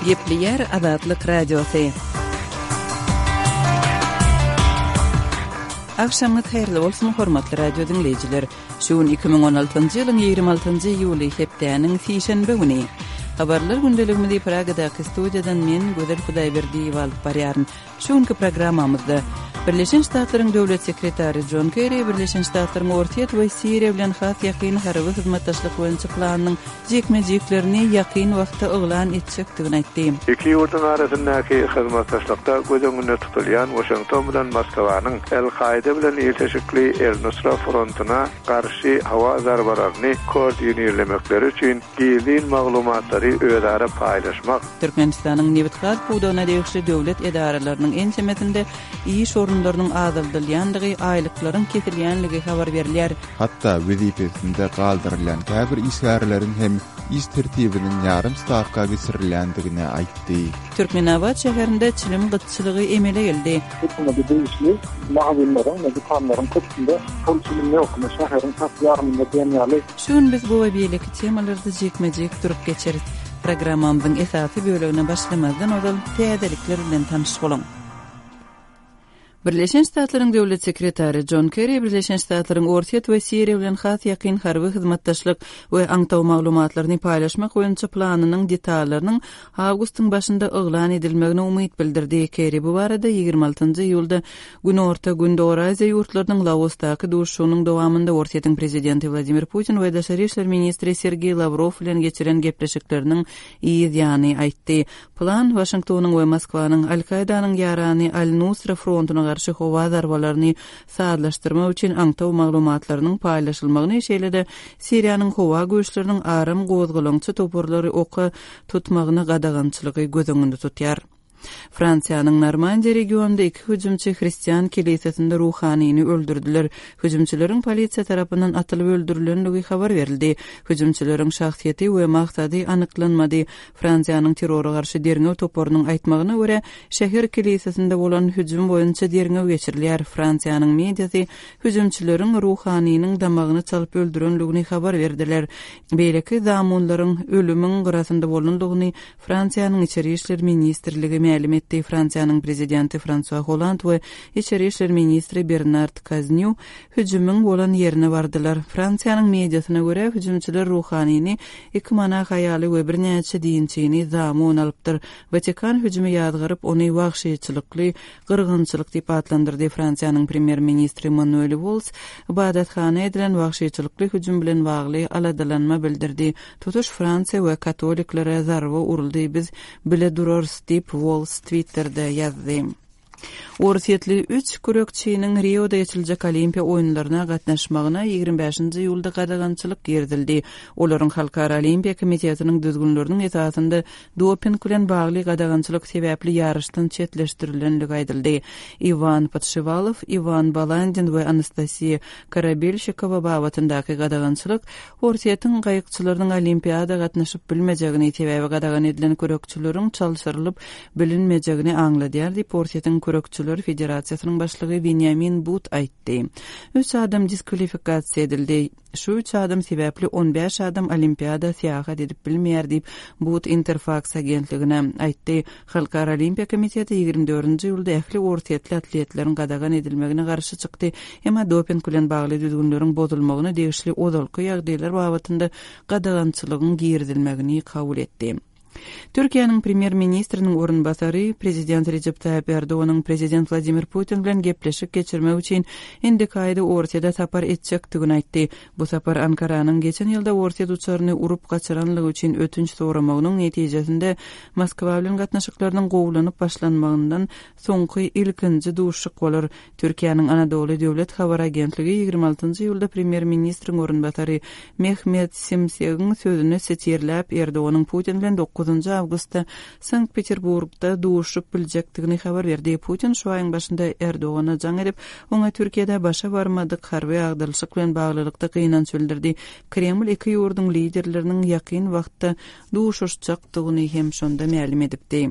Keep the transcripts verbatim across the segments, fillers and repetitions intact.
Gepleýär Azatlyk Radiosy. Agşamyňyz haýyrly bolsun, hormatly radio diňleýjiler. Şu gün iki müň on altynjy ýylyň ýigrimi altynjy iýuly, hepdäniň sişenbe güni. Habarlar gündeligimizi Pragadaky studiýadan men, Gözel Hudaýberdiýewa alyp barýaryn. Şu günki programmamyzda Birleşen Ştatlaryň Döwlet sekretary Jon Kerri Birleşen Ştatlaryň Orsýet we Siriýa bilen has ýakyn harby hyzmatdaşlyk boýunça planynyň jikme-jiklerini ýakyn wagtda yglan etjekdigini aýtdy. Iki ýurduň arasyndaky hyzmatdaşlykda göz öňünde tutulýan Waşington bilen Moskwanyň El-Kaýda bilen ilteşikli El-Nusra frontuna garşy howa zarbalaryny koordinirlemekleri üçin gizlin maglumatlary özara paýlaşmak. Türkmenistanyň nebit-gaz pudagyna degişli döwlet edaralarynyň ençemesinde iş orunlarynyň azaldylýandygy, aýlyklaryň kesilýänligi habar berilýär. Hatda wezipesinde galdyrylýan käbir işgärleriň hem iş tertibiniň ýarym stawka geçirilýändigini aýtdy. Türkmenabat şäherinde çilim gytçylygy emele geldi. Hökümete degişli magazinleriň we dükanlaryň köpüsinde şol çilim ýok. Şäheriň tas ýarymynda diýen ýaly. Şu gün biz bu we beýleki temalarda jikme-jik durup geçeris. Programmamyzyň esasy bölegine başlamazdan ozal täzelikler bilen tanyş boluň. Birleşen Ştatlaryň Döwlet sekretary Jon Kerri Birleşen Ştatlaryň Orsýet we Siriýa bilen has ýakyn harby hyzmatdaşlyk we aňtaw maglumatlaryny paýlaşmak boýunça planynyň detallarynyň awgustyň başynda yglan edilmegine umyt bildirdi. Kerri bu barada ýigrimi altynjy iýulda Günorta Gündogar Aziýa ýurtlarynyň Laosdaky duşuşygynyň dowamynda Orsýetiň prezidenti Wladimir Putin we daşary işler ministri Sergeý Lawrow bilen geçiren gepleşikleriniň yz ýany aýtdy. Plan Waşingtonyň we Moskwanyň Al-Kaýdanyň ýarany Al-Nusra frontuna garşy howa zarbalaryny sazlaşdyrmak üçin aňtaw maglumatlarynyň paýlaşylmagyny, şeýle-de Siriýanyň howa güýçleriniň aram gozgalaňçy toparlary oka tutmagyna gadagançylygy göz öňünde tutýar. Fransiýanyň Normandiýa regionynda iki hüjümçi hristian kilisesinde ruhanyny öldürdiler. Hüjümçileriň polisiýa tarapyndan atylyp öldürilenligi habar berildi. Hüjümçileriň şahsyýeti we maksady anyklanmady. Fransiýanyň terrora garşy derňew toparynyň aýtmagyna görä, şäher kilisesinde bolan hüjüm boýunça derňew geçirilýär. Fransiýanyň mediasy hüjümçileriň ruhanynyň damagyny çalyp öldürenligini habar berdiler. Beýleki zamunlaryň ölümiň gyrasynda bolandygyny Fransiýanyň Içeri işler ministrligi mälim etdi. Fransiýanyň prezidenti Fransua Holland we Içeri işler ministri Bernard Kaznýu hüjümiň bolan ýerine bardylar. Fransiýanyň mediasyna görä, hüjümçiler ruhanyny, iki monah aýaly we birnäçe dinçini zamun alypdyr. Watikan hüjümi ýazgaryp, ony wagşyçylykly gyrgynçylyk diýip atlandyrdy. Fransiýanyň premýer-ministri Manuel Walls ybadathana edilen wagşyçylykly hüjüm bilen bagly aladalanma bildirdi. Tutuş Fransiýa we katoliklere zarba uruldy, biz bile durarys diýip, Walls Twitter'de ýazdy. Orsýetli üç kürekçiniň Rioda geçiriljek Olimpiýa oýunlaryna gatnaşmagyna ýigrimi bäşinji iýulda gadagançylyk girizildi. Olaryň Halkara Olimpiýa komitetiniň düzgünleriniň esasynda doping bilen bagly gadagançylyk sebäpli ýaryşdan çetleşdirilendigi aýdyldy. Iwan Podşiwalow, Iwan Balandin we Anastasiýa Korabelşikowa babatyndaky gadagançylyk Orsýetiň gaýykçylarynyň Olimpiada gatnaşyp bilmejegini, sebäbi gadagan edilen kürekçileriň çalşyrylyp bilinmejegini aňladýar diýip, Orsýetiň kürekçiler federasiýasynyň başlygy Benýamin But aýtdy. Üç adam diskwalifikasiýa edildi. Şu üç adam sebäpli on bäş adam Olimpiada syýahat edip bilmeýär diýip, But Interfax agentligine aýtdy. Halkara Olimpiýa komiteti ýigrimi dördünji iýulda ähli orsýetli atletleriň gadagan edilmegine garşy çykdy, emma doping bilen bagly düzgünleriň bozulmagyna degişli ozalky ýagdaýlar babatynda gadagançylygyň girizilmegini kabul etdi. Türkiýäniň premýer-ministriniň orunbasary prezident Rejep Taýyp Erdoganyň prezident Wladimir Putin bilen gepleşik geçirmek üçin indiki aýda Orsýete sapar etjekdigini aýtdy. Bu sapar Ankaranyň geçen ýylda Orsýet uçaryny urup gaçyranlygy üçin ötünç soramagynyň netijesinde Moskwa bilen gatnaşyklarynyň gowulanyp başlanmagyndan soňky ilkinji duşuşyk bolar. Türkiýäniň Anadolu döwlet habar agentligi ýigrimi altynjy iýulda premýer-ministriň orunbasary Mehmet Simsegiň sözüni sitirläp, Erdoganyň Putin bilen dokuzynjy awgustda Sankt-Peterburgda duşup biljekdigini habar berdi. Putin şu aýyň başynda Erdogana jaň edip, oňa Türkiýede başa barmadyk harby agdarylyşyk bilen baglylykda gynanç bildirdi. Kreml iki ýurduň liderleriniň ýakyn wagtda duşuşjakdygyny hem şonda mälim edipdi.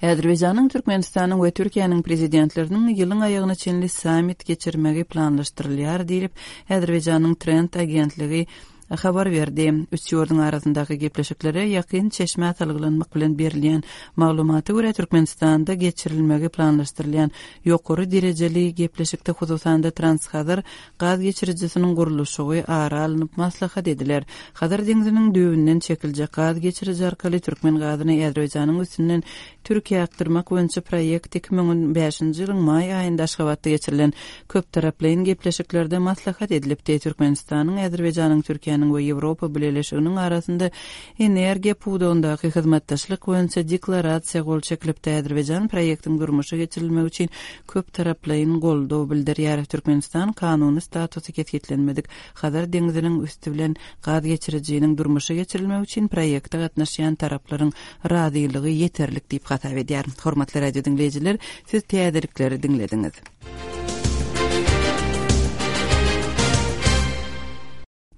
Azerbaýjanyň, Türkmenistanyň we Türkiýäniň prezidentleriniň ýylyň aýagyna çenli sammit geçirmegi planlaşdyrylýar diýlip, Azerbaýjanyň Trend agentligi habar berdi. Üç ýurduň arasyndaky gepleşiklere ýakyn çeşmä salgylanmak bilen berilýän maglumata görä Türkmenistanda geçirilmegi planlaşdyrylýan ýokary derejeli gepleşikde hususan-da Transhazar gaz geçirijisiniň gurluşygy ara alnyp maslahat ediler. Hazar deňziniň düýbünden çekiljek gaz geçiriji arkaly türkmen gazyny Azerbaýjanyň üstünden Türkiýä akdyrmak boýunça proýekt iki müň on bäşinji ýylyň maý aýynda Aşgabatda geçirilen köptaraplaýyn gepleşiklerde maslahat edilipdi. Türkmenistanyň, Azerbaýjanyň, Türkiýäniň we Ýewropa Bileleşiginiň arasynda energiýa pudagyndaky hyzmatdaşlyk boýunça deklarasiýa gol çekilipdi. Azerbaýjan proýektiň durmuşa geçirilmegi üçin köptaraplaýyn goldaw bildirýär. Türkmenistan kanuny statusy kesgitlenmedik Hazar deňziniň üsti bilen gaz geçirijiniň durmuşa geçirilmegi üçin proýekte gatnaşýan taraplaryň razylygy ýeterlik diýip hasap edýär. Hormatly radio diňleýjiler, siz täzelikleri diňlediňiz.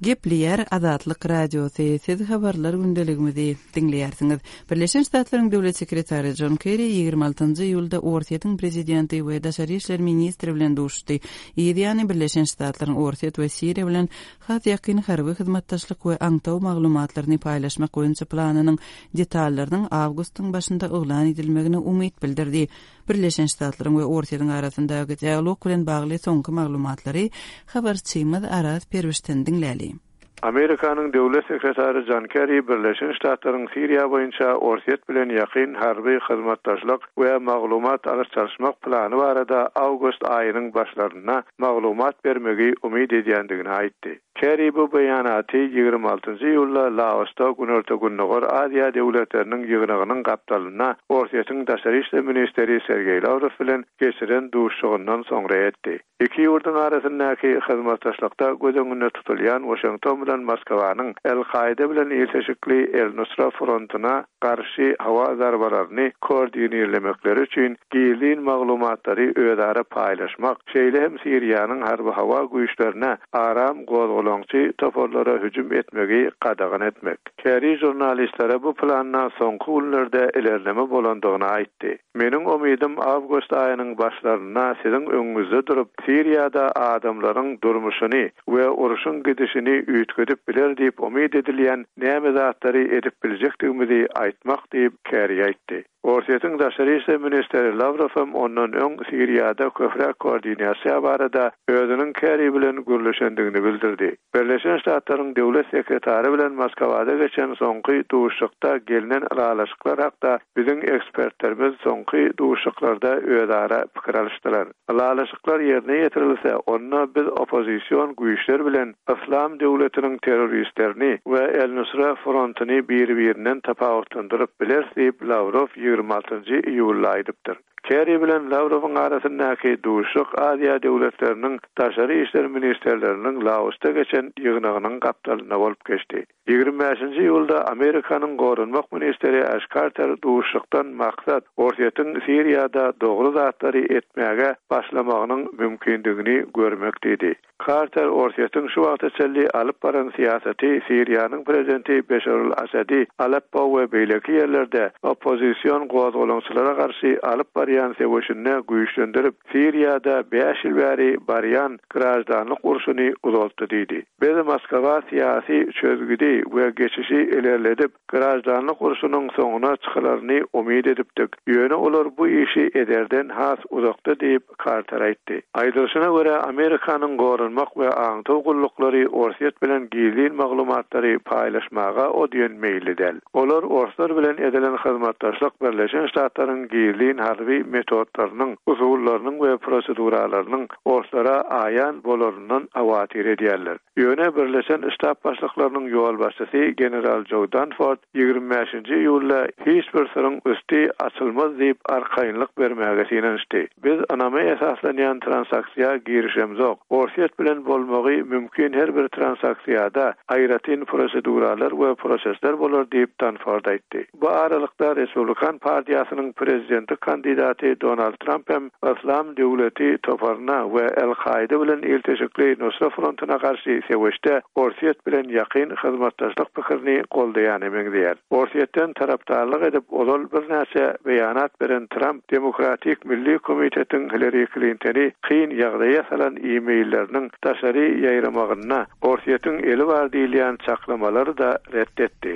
Gepleýär Azatlyk Radiosy, siz habarlar gündeligimizi diňleýärsiňiz. Birleşen Ştatlaryň Döwlet sekretary John Kerry ýigrimi altynjy iýulda Orsýetiň prezidenti we daşary işler ministri bilen duşuşdy. Ýany Birleşen Ştatlaryň Orsýet we Siriýa bilen has ýakyn harby hyzmatdaşlyk we aňtaw maglumatlaryny paýlaşmak boýunça planynyň detallarynyň awgustyň başynda yglan edilmegine umyt bildirdi. Birleşen Ştatlaryň we Orsýetiň arasyndaky dialog bilen bagly soňky maglumatlary habarçymyz Araz Perwişden diňläli. Amerikanyň Döwlet sekretary John Kerry Birleşen Ştatlaryň Siriýa boýunça Orsýet bilen ýakyn harby hyzmatdaşlyk we maglumat alyş-çalyşmak plany barada awgust aýynyň başlarynda maglumat bermegi umyt edýändigini aýtdy. Kerry bu beýanaty ýigrimi altynjy iýulda Laosda Günorta-Gündogar Aziýa döwletleriniň ýygnagynyň gapdalynda Orsýetiň daşary işler ministri Sergeý Lawrow bilen geçiren duşuşygyndan soňra etdi. Iki ýurduň arasyndaky hyzmatdaşlykda göz öňünde tutulýan Washington bilen Moskwanyň El-Kaide bilen ilteşikli El-Nusra frontuna garşy howa zarbalaryny koordinirlemekleri üçin gizlin maglumatlary özara paýlaşmak, şeýle hem Siriýanyň harby howa güýçlerine aram gozgalaňçy toparlara hüjüm etmegi gadagan etmek. Kerry jurnalistlere bu planda soňky günlerde ilerleme bolandygyny aýtdy. Meniň umydym awgust aýynyň başlarynda siziň öňüňizde durup Siriýada adamlaryň durmuşyny we uruşyň gidişini üýtgedip biler diýip umyt edilýän näme zatlary edip biljekdigimizi aýtmak diýip Kerry aýtdy. Orsýetiň daşary işler ministri Lawrow hem ondan öň Siriýada köpräk koordinasiýa barada özüniň Kerry bilen gürleşendigini bildirdi. Birleşen Ştatlaryň Döwlet sekretary bilen Moskwada geçen soňky duşuşykda gelnen ylalaşyklar hakda biziň ekspertlerimiz soňky duşuşyklarda özara pikir alyşdylar. Ylalaşyklar ýerine ýetirilse, onda biz oppozision güýçler bilen Islam döwletiniň terroristlerini we El-Nusra frontuny bir-birinden tapawutlandyryp bileris diýip Lawrow ýigrimi altynjy iýulda aýdypdyr. Kerry bilen Lawrowyň arasyndaky duşuşyk Aziýa döwletleriniň daşary işler ministerleriniň Laosda geçen ýygnagynyň gapdalynda bolup geçdi. Ýigrimi bäşinji iýulda Amerikanyň goranmak ministri Ash Carter duşuşykdan maksat Orsýetiň Siriýada dogry zatlary etmäge başlamagynyň mümkindigini görmek diýdi. Carter Orsýetiň şu wagta çenli alyp baran syýasaty Siriýanyň prezidenti Beşar al-Asadi Aleppo we beýleki ýerlerde oppozision gozgalaňçylara garşy alyp barýan söweşinde güýçlendirip Siriýada bäş ýyl bäri barýan grajdanlyk urşuny uzaltdy diýdi. Biz Moskwa syýasy çözgüdi we geçişi ilerledip grajdanlyk urşunyň soňuna çykylaryny umyt edipdik. Ýöne olar bu işi ederden has uzakda diýip Carter aýtdy. Aýdylyşyna görä Amerikanyň goranmak we aňtaw gulluklary Orsýet bilen gizlin maglumatlary paýlaşmaga o diýen meýilli däl. Olar Orslar bilen edilen hyzmatdaşlyk Birleşen Ştatlaryň gizlin harby metodlarynyň, usullarynyň we proseduralarynyň Orslara aýan bolaryndan awatyr edýärler. Ýöne Birleşen Ştat başlyklarynyň ýolbaşçysy General Joe Dunford ýigrimi bäşinji iýulda hiç bir syryň üsti açylmaz diýip arkaýynlyk bermäge synanyşdy. Biz ynama esaslanýan transaksiýa girişemzok. Orsýet bilen bolmagy mümkin her bir transaksiýada aýratyn proseduralar we prosesler bolar diýip Dunford aýtdy. Bu aralykda Respublikan partiýasynyň prezidentlik kandidaty kandidaty Donald Tramp hem Yslam döwleti toparyna we El-Kaide bilen ilteşikli Nusra frontuna garşy söweşde Orsýet bilen ýakyn hyzmatdaşlyk pikirini goldaýany meňzeýär. Orsýetden tarapdarlyk edip ozal birnäçe beýanat beren Tramp Demokratik Milli Komitetiň Hillary Clintony kyn ýagdaýa salan e-mailleriniň daşary ýaýramagyna Orsýetiň eli bar diýilýän çaklamalary da ret etdi.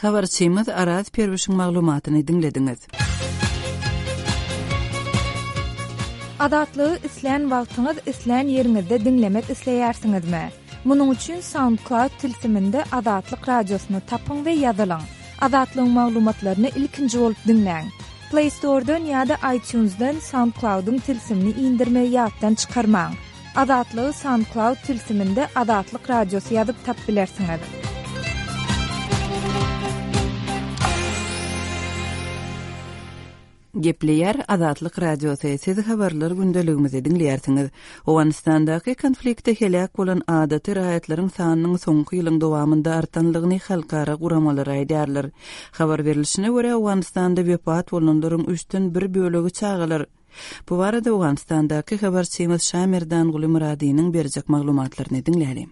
Habarçymyz Araz Perwişiň maglumatyny diňlediňiz. Azatlygy islän wagtyňyz islän ýeriňizde diňlemek isleýärsiňizmi? Munuň üçin SoundCloud tilsiminde Azatlyk radiosyny tapyň we ýazylyň. Azatlygyň maglumatlaryny ilkinji bolup diňläň. Play Store'dan ýa-da iTunes'dan SoundCloud'yň tilsimini indirmegi ýatdan çykarmaň. Azatlygy SoundCloud tilsiminde Azatlyk radiosy ýazyp tap bilersiňiz. Gepleýär Azatlyk Radiosy. Siz habarlar gündeligimizi diňleýärsiňiz. Owganystandaky konfliktde heläk bolan adaty raýatlaryň sanynyň soňky ýylyň dowamynda artanlygyny halkara guramalary aýdýarlar. Habar berilişine görä Owganystanda wepat bolanlaryň üçden bir bölegi çagalar. Bu barada Owganystandaky habarçymyz Şamerdanguly Muradynyň berjek maglumatlaryny diňlälim.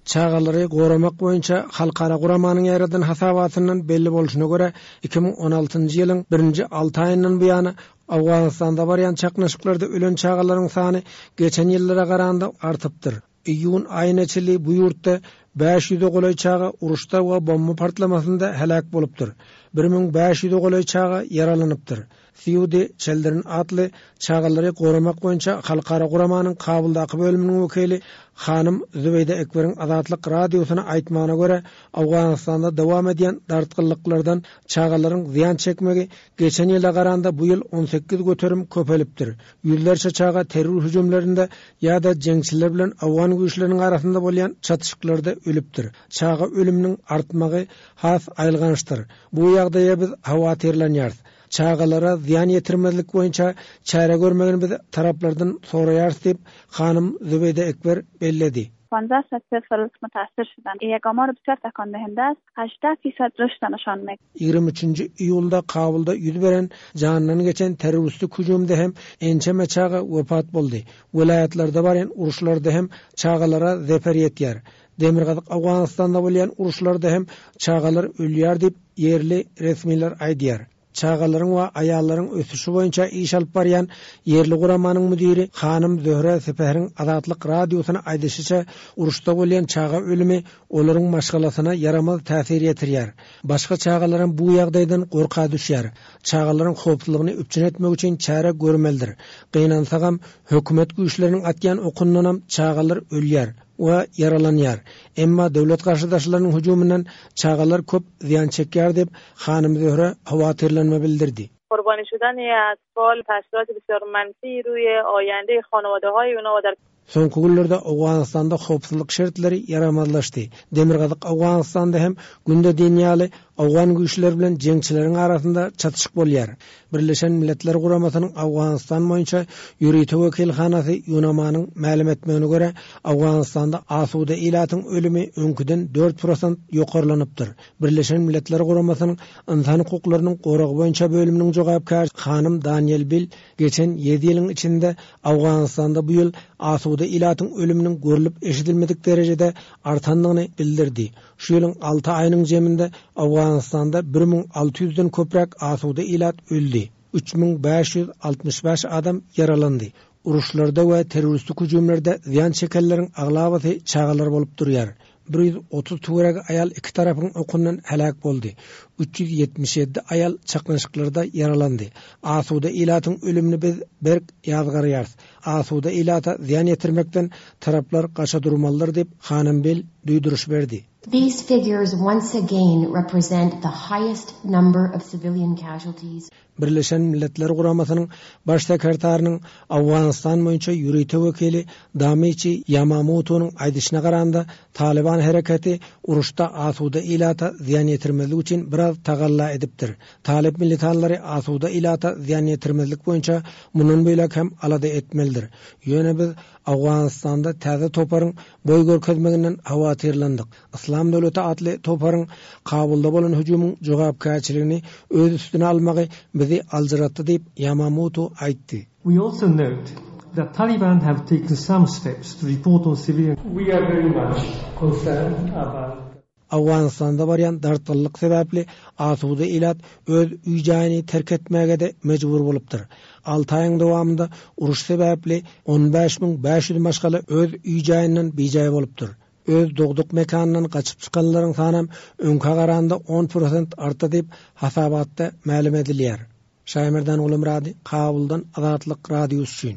Çagalary goramak boýunça halkara guramanyň ýaradan hasabatyndan belli bolşuna görä iki müň on altynjy ýylyň birinji alty aýyndan bu ýana Owganystanda barýan çaknyşyklarda ölen çagalaryň sany geçen ýyllara garanda artypdyr. Iýun aýyna çenli bu ýurtda bäş ýüze golaý çaga uruşda we bomba partlamasynda heläk bolupdyr. Bir müň bäş ýüze golaý çaga ýaralanypdyr. Sýudi Çeldirin atly çagalary goramak boýunça halkara guramanyň Kabuldaky bölüminiň wekili Hanym Zübeýde Ekberiň Azatlyk radiosyna aýtmagyna görä, Owganystanda dowam edýän dartgynlyklardan çagalaryň zyýan çekmegi geçen ýyla garanda bu ýyl on sekiz göterim köpelipdir. Ýüzlerçe çaga terror hüjümlerinde ýa-da jeňçiler bilen Owgan güýçleriniň arasynda bolýan çatyşyklarda ölüpdir. Çaga ölüminiň artmagy has aýylgançdyr. Bu ýagdaýa biz howatyrlanýarys. Çagalara zyýan ýetirmezlik boýunça çäre görmegini biz taraplardan soraýarys diýip Hanym Zübeýde Ekber belledi. پانزده صد طفل متاثر شدن. یک آمار بسیار تکان دهنده است. هجده فیصد رشد نشان می‌دهد. Ýigrimi üçünji iýulda Kabulda ýüz beren jandan geçen terroristik hüjümde hem ençeme çaga wepat boldy. Welaýatlarda barýan uruşlarda hem çagalara zeper ýetýär. Demirgazyk Owganystanda bolýan uruşlarda hem çagalar ölýär diýip ýerli resmiler aýdýar. Çagalaryň we aýallaryň ösüşi boýunça iş alyp barýan ýerli guramanyň müdiri Hanym Zöhre Sepehriň Azatlyk radiosyna aýdyşyça uruşda bolýan çaga ölümi olaryň maşgalasyna ýaramaz täsir ýetirýär. Başga çagalaryň bu ýagdaýdan gorka düşýär. Çagalaryň howpsuzlygyny üpjün etmek üçin çäre görmelidir. Gynansagam hökümet güýçleriniň atýan okundanam çagalar ölýär we ýaralanýar. Emma döwlet garşydaşlarynyň hüjüminden çagalar köp zyýan çekýär diýip Hanym Zöhre howatyrlanma bildirdi. Qurbani şudan atfal tasirat بسیار منفی روی آینده خانواده‌های اونا و در Soňky günlerde Owganystanda howpsuzlyk şertleri ýaramazlaşdy. Demirgazyk Owganystanda hem günde diýen Owgan güýçleri bilen jeňçileriň arasynda çatyşyk bolýar. Birleşen Milletler Guramasynyň Owganystan boýunça ýörite wekilhanasy Ýunamanyň mälim etmegine görä Owganystanda asuda ilatyň ölümi öňküden dört prosent ýokarlanypdyr. Birleşen Milletler Guramasynyň ynsan hukuklarynyň goragy boýunça bölüminiň jogapkär Hanym Daniel Bill geçen ýedi ýylyň içinde Owganystanda bu ýyl asuda ilatyň ölüminiň görülip eşidilmedik derejede artandygyny bildirdi. Şu ýylyň alty aýynyň jeminde Owganystanda bir müň alty ýüzden köpräk asuda ilat öldi. Üç müň bäş ýüz altmyş bäş adam ýaralandy. Uruşlarda we terroristik hüjümlerde zyýan çekenleriň aglabasy çagalar bolup durýar. Bir ýüz otuz töweregi aýal iki tarapyň okundan heläk boldy. Üç ýüz ýetmiş ýedi aýal çaknyşyklarda ýaralandy. Asuda ilatyň ölümini biz berk ýazgarýarys. Asuda ilata zyýan ýetirmekden taraplar gaça durmalydyr diýip Hanym Bill duýduryş berdi. These figures once again represent the highest number of civilian casualties. Birleşen Milletler Guramasynyň baş sekretarynyň Owganystan boýunça ýörite wekili Damiçi Ýamamoto'nyň aýdyşyna garanda Taliban hereketi uruşda asuda ilata zyýan ýetirmezlik üçin biraz tagalla edipdir. Talip militanlary asuda ilata zyýan ýetirmezlik boýunça mundan beýläk hem alada etmelidir. Ýöne biz Owganystanda täze toparyň boý görkezmeginden howatyrlandyk. Yslam döwleti atly toparyň Kabulda bolan hüjümiň jogapkärçiligini öz üstüne almagy bizi aljyratdy diýip, Ýamamoto aýtdy. We also note that Taliban have taken some steps to report on civilian We are very much concerned about Owganystanda barýan dartgynlyk sebäpli asuda ilat öz öý-jaýyny terk etmäge-de mejbur bolupdyr. Alty aýyň dowamynda uruş sebäpli on bäş müň bäş ýüz maşgala öz öý-jaýyndan bijaý bolupdyr. Öz dogduk mekanyndan gaçyp çykanlaryň sanam öňkä garanda on prosent artdy diýip, hasabatda mälim edilýär. Şaýmerdan Gulumyrady, Kabuldan Azatlyk Radiosy üçin.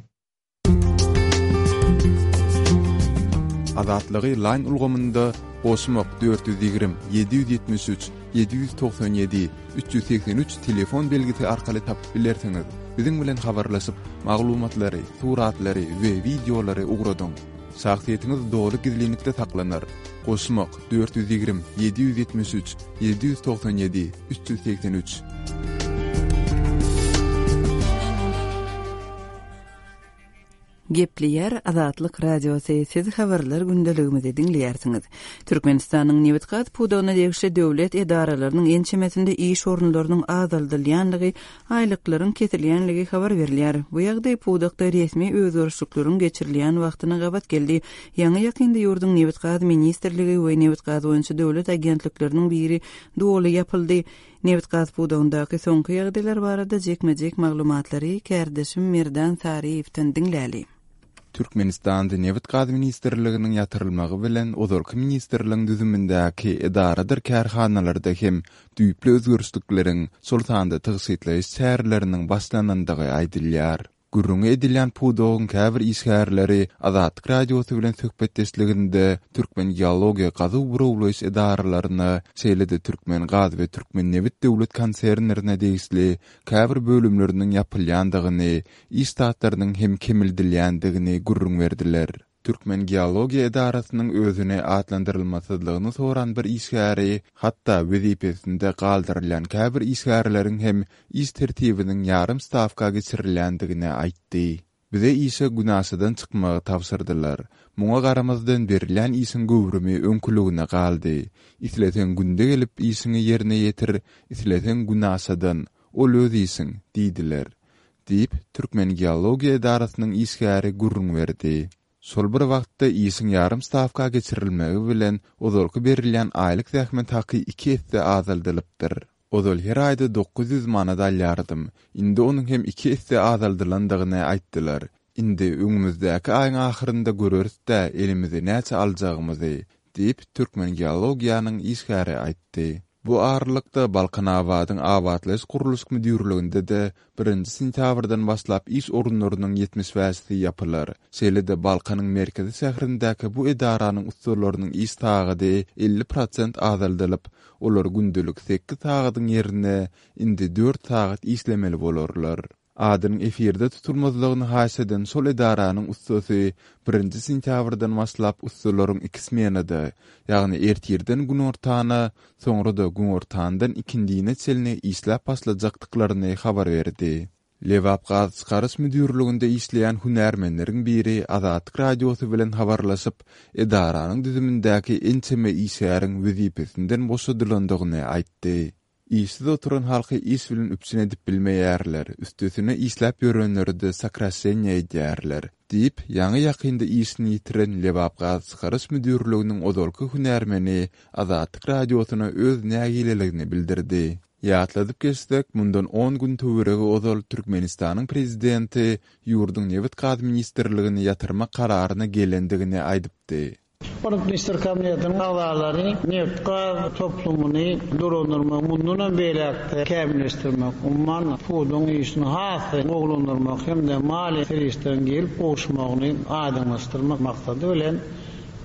Azatlygy Line ulgamynda goşmak dört ýüz ýigrimi, ýedi ýüz ýetmiş üç, ýedi ýüz togsan ýedi, üç ýüz segsen üç telefon belgisi arkaly tapyp bilersiňiz. Biziň bilen habarlaşyp, maglumatlary, suratlary we wideolary ugradyň. Şahsyýetiňiz doly gizlinlikde saklanar. Goşmak dört ýüz ýigrimi, ýedi ýüz ýetmiş üç, ýedi ýüz togsan ýedi, üç ýüz segsen üç. Gepleýär Azatlyk Radiosy, siz habarlar gündeligimizi diňleýärsiňiz. Türkmenistanyň nebit-gaz pudagyna degişli döwlet edaralarynyň ençemesinde iş orunlarynyň azaldylýanlygy, aýlyklaryň kesilýänligi habar berilýär. Bu ýagdaý pudakda resmi özgerişlikleriň geçirilýän wagtyna gabat geldi. Ýaňy-ýakynda ýurduň nebit-gaz ministrligi we nebit-gaz boýunça döwlet agentlikleriniň biri doly ýapyldy. Nebit-gaz pudagyndaky soňky ýagdaýlar barada jikme-jik maglumatlary kärdeşim Merdan Saryýewden diňläli. Türkmenistanda Nebit-gaz ministrliginiň ýatyrylmagy bilen ozalky ministrligiň düzümindäki edaradyr kärhanalarda hem düýpli özgerişlikleriň, şol sanda tygşytlaýyş çäreleriniň başlanandygy aýdylýar. Gürrüňi edilýän pudagyň käbir işgärleri Azatlyk Radiosy bilen söhbetdeşliginde Türkmen geologiýa gazuw burawlaýyş edaralaryna, şeýle-de Türkmen gaz we Türkmen nebit döwlet konsernlerine degişli käbir bölümleriniň ýapylýandygyny, iş ştatlarynyň hem kemildilýändigini gürrüň berdiler. Türkmen geologiýa edarasynyň özüne atlandyrylmasyzlygyny soran bir işgäri, hatda wezipesinde galdyrylýan käbir işgärleriň hem iş tertibiniň ýarym stawka geçirilýändigini aýtdy. Bize işe günaşadan çykmagy tabşyrdylar. Muňa garamazdan berilýän işiň göwrümi öňküligine galdy. Isleseň günde gelip işiňi ýerine ýetir, isleseň günaşadan, ol öz işiň, diýdiler. Diýip, Türkmen geologiýa edarasynyň işgäri gürrüň berdi. Şol bir wagtda işiň ýarym stawka geçirilmegi bilen ozalky berilýän aýlyk zähmet haky iki esse azaldylypdyr. Ozal her aýda dokuz ýüz manat alýardym. Indi onuň hem iki esse azaldylandygyny aýtdylar. Indi öňümizdäki aýyň ahyrynda göreris-dä elimizi näçe aljagymyzy, diýip, Türkmen geologiýanyň işgäri aýtdy. Bu aralykda Balkanabadyň abatlaýyş gurluşyk müdirliginde-de birinji sentýabrdan başlap iş orunlarynyň ýetmiş bäşisi ýapylar. Şeýle-de Balkanyň merkezi şäherindäki bu edaranyň ussalarynyň iş sagady elli prosent azaldylyp, olar gündelik sekiz sagadyň ýerine indi dört sagat işlemeli bolarlar. Adynyň efirde tutulmazlygyny haýyş eden şol edaranyň ussasy birinji sentýabrdan başlap ussalaryň iki smenada, ýagny ertirden günortana, soňra-da günortandan ikindine çenli işläp başlajakdyklaryny habar berdi. Lebap gaz çykaryş müdirliginde işleýän hünärmenleriň biri Azatlyk Radiosy bilen habarlaşyp, edaranyň düzümindäki ençeme işgäriň wezipesinden boşadylandygyny aýtdy. Işsiz oturan halky iş bilen üpjün edip bilmeýärler, üstesine işläp ýörenleri-de sokraşeniýa edýärler, diýip, ýaňy-ýakynda işini ýitiren Lebap gaz çykaryş müdirliginiň ozalky hünärmeni Azatlyk Radiosyna öz nägileligini bildirdi. Ýatladyp geçsek, mundan on gün töweregi ozal Türkmenistanyň prezidenti ýurduň nebit-gaz ministrligini ýatyrmak kararyna gelendigini aýdypdy. Onuň ministr kabinetiniň agzalary nebit-gaz toplumyny dolandyrmak, mundan hem beýläk kämilleşdirmek, umuman pudagyň işini has gowulandyrmak hem-de maliýe serişdeleriniň gelip gowuşmagyny aýdyňlaşdyrmak maksady bilen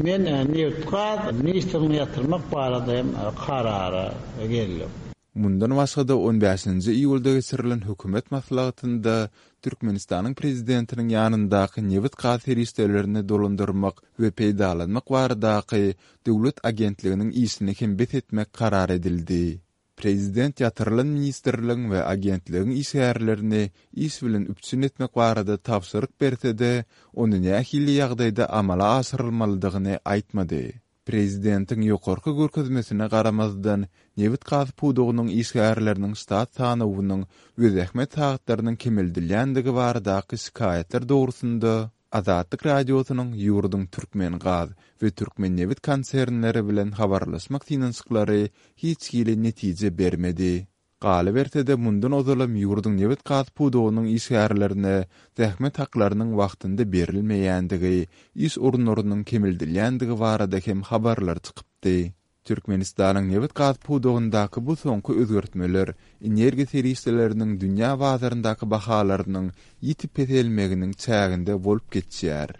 men nebit-gaz ministrini ýatyrmak barada hem karara geldim. Mundan başga-da on bäşinji iýulda geçirilen hökümet maslahatynda Türkmenistanyň prezidentiniň ýanyndaky nebit-gaz serişdelerini dolandyrmak we peýdalanmak baradaky döwlet agentliginiň işini hem bes etmek karar edildi. Prezident ýatyrylan ministrligiň we agentligiň işgärlerini iş bilen üpjün etmek barada tabşyryk berse-de, ony nähili ýagdaýda amala aşyrylmalydygyny aýtmady. Prezidentiň ýokarky görkezmesine garamazdan, nebit-gaz pudagynyň işgärleriniň ştat sanawynyň we zähmet sagatlarynyň kemeldilýändigi baradaky şikaýatlar dogrusynda Azatlyk Radiosynyň ýurduň Türkmengaz we Türkmennebit konsernleri bilen habarlaşmak synanyşyklary hiç hili netije bermedi. Galyberse-de, mundan ozalam ýurduň nebit-gaz pudagynyň işgärlerine zähmet haklarynyň wagtynda berilmeýändigi, iş orunlarynyň kemeldilýändigi barada hem habarlar çykypdy. Türkmenistanyň nebit-gaz pudagyndaky bu soňky özgertmeler energiýa serişdeleriniň dünýä bazaryndaky bahalarynyň ýiti peselmeginiň çäginde bolup geçýär.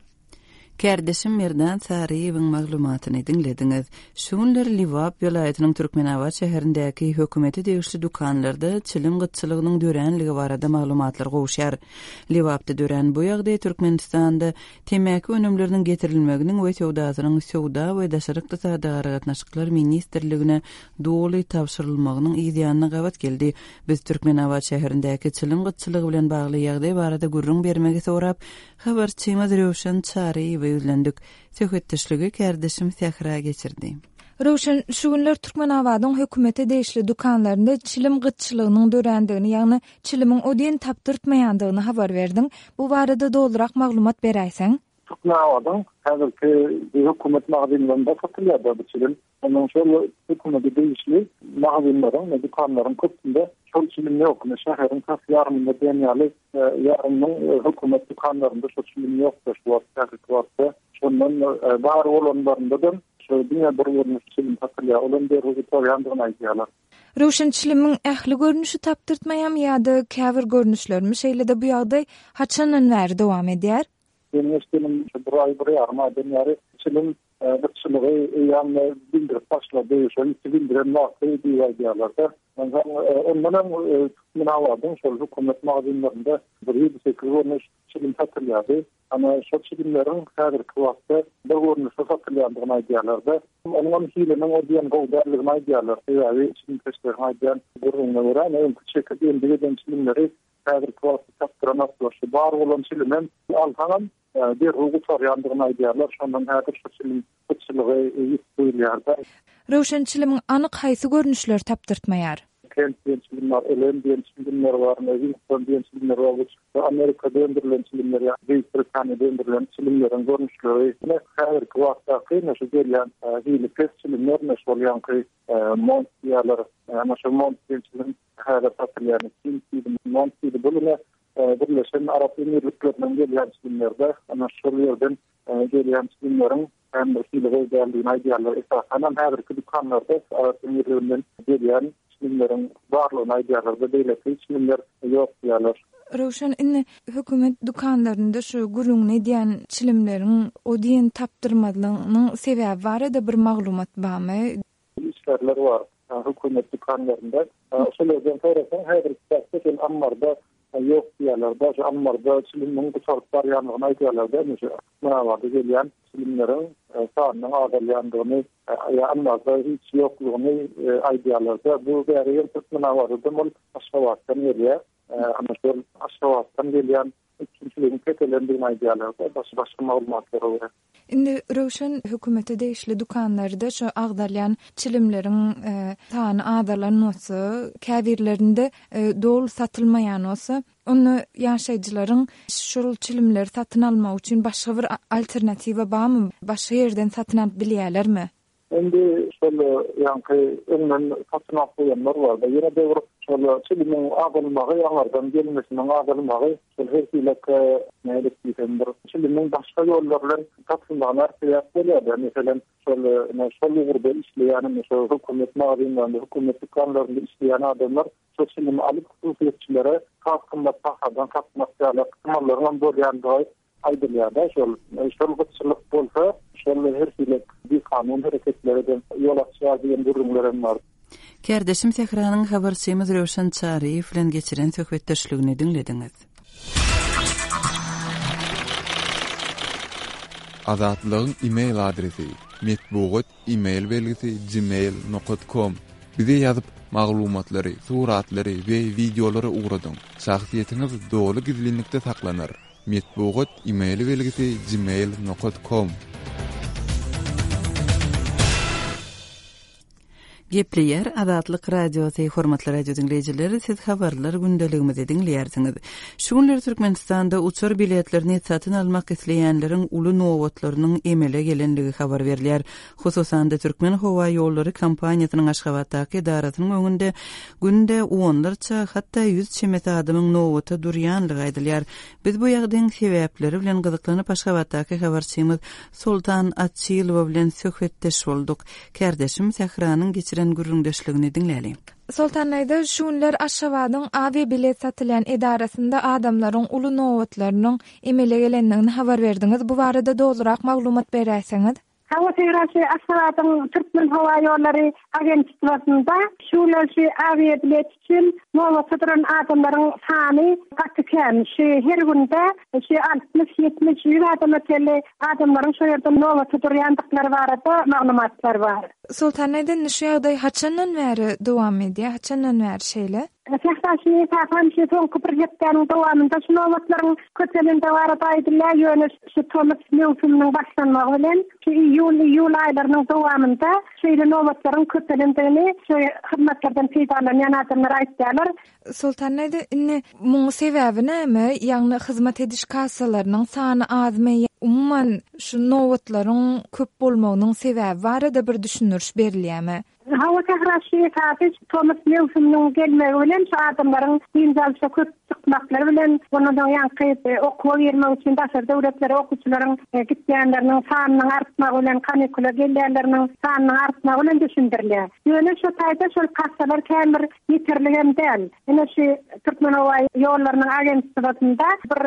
Kärdeşim Merdan Saryýewiň maglumatyny diňlediňiz. Şu günler Lebap welaýatynyň Türkmenabat şäherindäki hökümete degişli dükanlarda çilim gytçylygynyň döränligi barada maglumatlar gowuşýar. Lebapda dörän bu ýagdaý Türkmenistanda temmäki önümleriniň getirilmeginiň we söwdasynyň Söwda we daşary ykdysady aragatnaşyklar ministrligine doly tabşyrylmagynyň yz ýanyna gabat geldi. Biz Türkmenabat şäherindäki çilim gytçylygy bilen bagly ýagdaý barada gürrüň bermegi sorap, habarçymyz Röwşen Çaryýewe ýüzlendik. Söhbetdeşligi kärdeşim Sähra geçirdi. Röwşen, şu günler Türkmenabadyň hökümete degişli dükanlarynda çilim gytçylygynyň dörändigini, ýagny çilimiň o diýen tapdyrtmaýandygyny habar berdiň. Bu barada dolurak maglumat beräýseň? Türkmenabadyň häzirki hökümet magazinlerinde satylýar bu çilim. Onuň şol hökümete degişli magazinleriň we dükanlaryň köpüsinde şol çilim ýok. Şäheriň tas ýarymynda diýen ýaly ýarymynyň hökümet dükanlarynda şol çilim ýok şu wagt häzirki wagtda. Şondan bar bolanlarynda şu diňe bir görnüş çilim satylýar. Olam derrew gutarýandygyny aýdýarlar. Röwşen çilimiň ähli görnüşi tapdyrtmaýarmy ýa-da käbir görnüşlerimi? Şeýle-de bu ýagdaý haçandan bäri dowam edýär? Deňeş çilim bir aý bir ýarym aýdan bäri çilim gytçylygy eýýäm bildirip başlady. Şol iki bildiren wagty diýip aýdýarlar-da. Ondan ondan hem Türkmenabadyň şol hökümet magazinlerinde bir ýedi sekiz görnüş çilim satylýardy. Ama şol çilimleriň häzirki wagtda bir görnüşi satylýandygyny aýdýarlar-da. Onuň hem hiliniň o diýen gowy däldigini aýdýarlar. Sebäbi çilimkeşleriň aýdýan gürrüňine görä, öňki çekip endik eden çilimleri häzirki wagtda tapdyranoklar. Şu bar bolan çilimem alsaňam derrew gutarýandygyny aýdýarlar. Şondan häzir şu çilim gytçylygy ýitip duýulýar-da. Röwşen çilimiň anyk haýsy görnüşleri tapdyrtmaýar? Kent diýen çilim bar, Elem diýen çilimler bar, Winston diýen çilimler bar. Bu Amerikada öndürilen çilimler ýa Beýik Britaniýada öndürilen çilimleriň görnüşleri. Ine häzirki wagtdaky ine şu gelýän hili pes çilimler, ine şol ýaňky Mont diýýärler. Ana şu Mont diýen çilim häzir satylýan King diýdi, Mont diýdi. Bu ine Birleşen Arap Emirliklerinden gelýän çilimlerde, ana şol ýerden gelýän çilimleriň hem bir hili gowy däldigini aýdýarlar. Esasan hem häzirki dükanlarda Arap Emirliginden gelýän çilimleriň barlygyny aýdýarlar da, beýleki çilimler ýok diýýärler. Röwşen, indi hökümet dükanlarynda şu gürrüňini edýän çilimleriň o diýen tapdyrmazlygynyň sebäbi barada bir maglumat barmy? Işgärler bar hökümet dükanlarynda. Şol ýerden sorasaň, häzirki wagtda şol ammarda ýok diýýärler. Şu ammarda çilimiň gutaryp barýandygyny aýdýarlar da, şu Türkmenabatda gelýän çilimleriň sanynyň azalýandygyny, ýa ammarda hiç ýoklugyny aýdýarlar da. Bu bäri hem Türkmenabatdan bolup Aşgabatdan gelýär. Ama şol Aşgabatdan gelýän üpjünçiligiň peselendigini aýdýarlar da, başga başga maglumatlara görä. Indi Röwşen hökümete degişli dükanlarda şu agzalýan çilimleriň sany azalan bolsa, käbirlerinde doly satylmaýan bolsa, onda ýaşaýjylaryň şol çilimleri satyn almak üçin başga bir alternatiwa barmy? Başga ýerden satyn alyp bilýärlermi? Indi şol ýaňky öňden satyn alyp goýanlar bar da, ýene de bir şol çilimiň azalmagy, ýaňardan gelmesiniň azalmagy, şol her hili nälik diýsem bir çilimiň başga ýollar bilen satylmagyna sebäp bolýar. Meselem, şol şol ugurda işleýän, şol hökümet magazinlerinde, hökümet dükanlarynda işleýän adamlar şol çilimi alyp hususyýetçilere has gymmat bahadan satmak ýaly ähtimallaryň hem bolýandygy aýdylýar da, şol şol gytçylyk bolsa, şol her hili bikanun hereketlere de ýol açýar diýen gürrüňler hem bar. Kärdeşim Sähranyň habarçymyz Röwşen Çaryýew bilen geçiren söhbetdeşligini diňlediňiz. Azatlygyň e-mail adresi metbugat e-mail belgisi gmail nokta com. Bize ýazyp maglumatlary, suratlary we wideolary ugradyň. Şahsyýetiňiz doly gizlinlikde saklanar. Metbugat e-mail belgisi gmail nokta com. Gepleýär Azatlyk Radiosy, hormatly radio diňleýjiler, siz habarlar gündeligimizi diňleýärsiňiz. Şu günler Türkmenistanda uçar biletlerini satyn almak isleýänleriň uly nobatlarynyň emele gelenligi habar berilýär. Hususan-da Türkmen howa ýollary kompaniýasynyň Aşgabatdaky edarasynyň öňünde günde onlarça, hatda ýüz çemesi adamyň nobata durýanlygy aýdylýar. Biz bu ýagdaýyň sebäpleri bilen gyzyklanyp Aşgabatdaky habarçymyz Soltan Açylowa bilen söhbetdeş bolduk. Kärdeşim Sähranyň geçiren gürrüňdeşligini diňläliň. Soltan Aýda, şu günler Aşgabadyň awiabilet satylýan edarasynda adamlaryň uly nobatlarynyň emele gelendigini habar berdiňiz. Bu barada dolurak maglumat beräýseňiz. Hawa, Sähra, şu Aşgabadyň Türkmen howa ýollary agentstwasynda şu günler şu awiabilet üçin nobata duran adamlaryň sany gaty kän. Şu her günde şu altmyş, ýetmiş, ýüz adama çenli adamlaryň şu ýerde nobata durýandyklary barada maglumatlar bar. Soltan Aýda, indi şu ýagdaý haçandan bäri dowam edýär? Haçandan bäri şeýle? Sähra, şu esasan şu soňky bir hepdäniň dowamynda şu nobatlaryň köpelendigi barada aýdylýar. Ýöne şu tomus möwsüminiň başlanmagy bilen şu iýul, iýul aýlarynyň dowamynda şeýle nobatlaryň köpelendigini şu hyzmatlardan peýdalanýan adamlar aýtýarlar. Soltan Aýda, indi muň sebäbi näme? Ýagny hyzmat ediş kassalarynyň sany azmy? Umuman şu nobatlaryň köp bolmagynyň sebäbi barada bir düşündiriş berilýärmi? Hawa, Sähra, şu esasy tomus möwsüminiň gelmegi bilen şu adamlaryň dynç alşa köp çykmaklary bilen, ondan soň ýaňky okuwa girmek üçin daşary döwletlere okuwçylaryň gitýänleriniň sanynyň artmagy bilen, kanikula gelýänleriniň sanynyň artmagy bilen düşündirilýär. Ýöne şu taýda şol kassalar kän bir ýeterligem däl. Ine şu Türkmen howa ýollarynyň agentstwasynda bir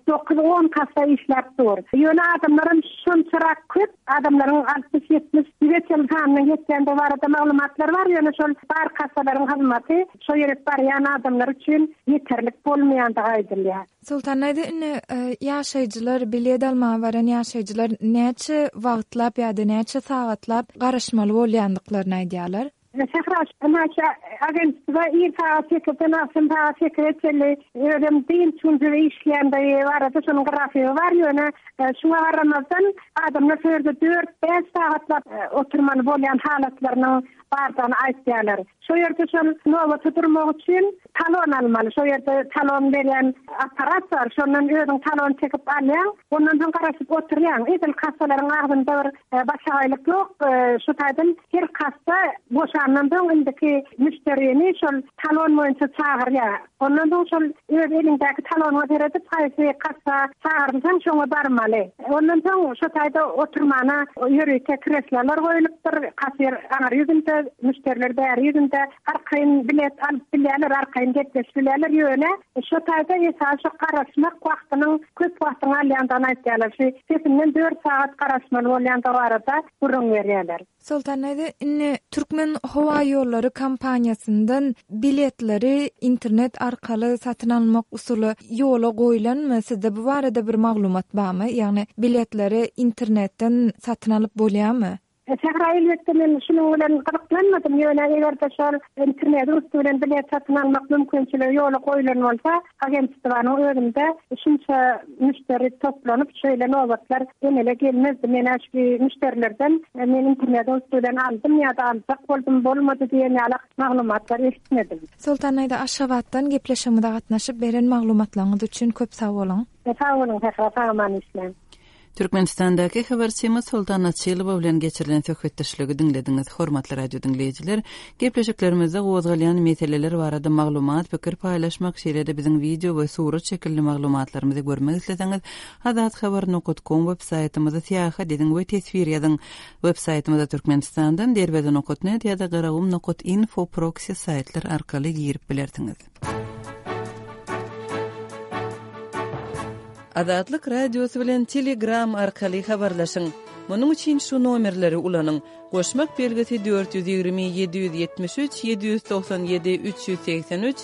dokuz-on kassa işläp dur. Ýöne adamlaryň şonçarak köp, adamlaryň altmyş, ýetmiş, ýüze çenli sanynyň ýetýändigi barada maglumatlar bar. Ýöne şol bar kassalaryň hyzmaty şo ýere barýan adamlar üçin ýeterlik bolmaýandygy aýdylýar. Soltan Aýda, indi, e, ýaşaýjylar, bilet almaga baran ýaşaýjylar näçe wagtlap ýa-da näçe sagatlap garaşmaly bolýandyklaryny aýdýarlar? Sähra, näçe agentstwa ir sagat sekizden agşam sagat sekize çenli özem dynç günleri işleýändigi barada şonuň grafigi bar. Ýöne, e, şuňa garamazdan adamlar şu ýerde dört, bäş sagatlap, e, oturmaly bolýan halatlarynyň bardygyny aýtýarlar. Şu ýerde şol nobata durmak üçin talon almaly. Şu ýerde talon berýän aparat bar. Şondan özüň talon çekip alýaň, ondan soň garaşyp oturýaň. Edil kassalaryň agzynda bir, e, başagaýlyk ýok. E, şu taýdan her kassa boşandan soň indiki müşderini şol talon boýunça çagyrýar. Ondan soň şol öz eliňdäki talonyňa seredip haýsy kassa çagyrylsaň şoňa barmaly. Ondan soň şu taýda oturmana ýörite kreslolar goýlupdyr. Kassir aňar ýüzünde, müşderiler bäri ýüzünde arkaýyn bilet alyp bilýärler, arkaýyn gepleşip bilýärler. Ýöne şu taýda esasy garaşmak wagtynyň köp wagtyny alýandygyny aýtýarlar. Şu sesinden dört sagat garaşmaly bolýandygy barada gürrüň berýärler. Soltan Aýda, indi Türkmen howa ýollary kompaniýasyndan biletleri internet arkaly satyn almak usuly ýola goýlanmy? Sizde bu barada bir maglumat barmy? Ýagny biletleri internetden satyn alyp bolýarmy? Sähra, elbetde men şunuň bilen gyzyklanmadym. Ýöne eger-de şol internetiň üsti bilen bilet satyn almak mümkinçiligi ýola goýlan bolsa, agentstwanyň özünde şunça müşderi toplanyp, şeýle nobatlar emele gelmezdi. Men şu müşderilerden men internetiň üsti bilen aldym ýa-da aljak boldum, bolmady diýen ýaly maglumatlar eşitmedim. Soltan Aýda, Aşgabatdan gepleşigimize gatnaşyp beren maglumatlaryňyz üçin köp sag boluň. Sag boluň, Sähra, sag aman işläň. Türkmenistandaky habarçymyz Soltan Açylowa bilen geçirilen söhbetdeşligi diňlediňiz. Hormatly radio diňleýjiler, gepleşiklerimizde gozgalýan meseleler barada maglumat, pikir paýlaşmak, şeýle-de biziň wideo we surat şekilli maglumatlarymyzy görmek isleseňiz, azathabar nokta com web saýtymyzy syýahat ediň we teswir ýazyň. Web saýtymyza Türkmenistandan derweze nokta net ýa-da garagum nokta info proxy saýtlar arkaly girip bilersiňiz. Azatlyk Radiosy bilen Telegram arkaly habarlaşyň. Munuň üçin şu nomerleri ulanyň. Goşmak belgisi dört ýüz ýigrimi ýedi ýüz ýetmiş üç ýedi ýüz togsan ýedi üç ýüz segsen üç,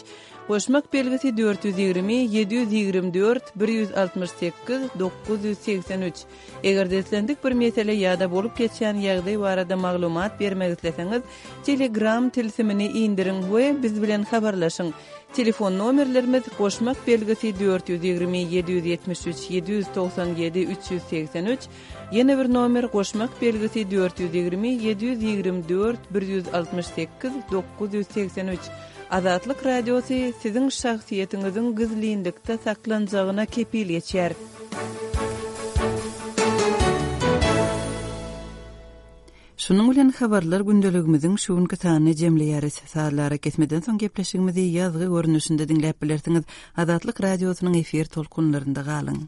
Goşmak belgisi dört ýüz ýigrimi, ýedi ýüz ýigrimi dört, bir ýüz altmyş sekiz, dokuz ýüz segsen üç. Eger-de islendik bir mesele ýa-da bolup geçýän ýagdaý barada maglumat bermek isleseňiz, Telegram tilsimini indiriň we biz bilen habarlaşyň. Telefon nomerlerimiz, goşmak belgisi dört ýüz ýigrimi, ýedi ýüz ýetmiş üç, ýedi ýüz togsan ýedi, üç ýüz segsen üç, ýene bir nomer, goşmak belgisi dört ýüz ýigrimi, ýedi ýüz ýigrimi dört, bir ýüz altmyş sekiz, dokuz ýüz segsen üç. Azatlyk Radiosy siziň şahsyýetiňiziň gizlinlikde saklanjagyna kepil geçýär. Şunuň bilen Habarlar gündeligimiziň şu günki sanyny jemleýäris. Sazly arakesmeden soň gepleşigimizi ýazgy görnüşinde diňläp bilersiňiz. Azatlyk Radiosynyň efir tolkunlarynda galyň.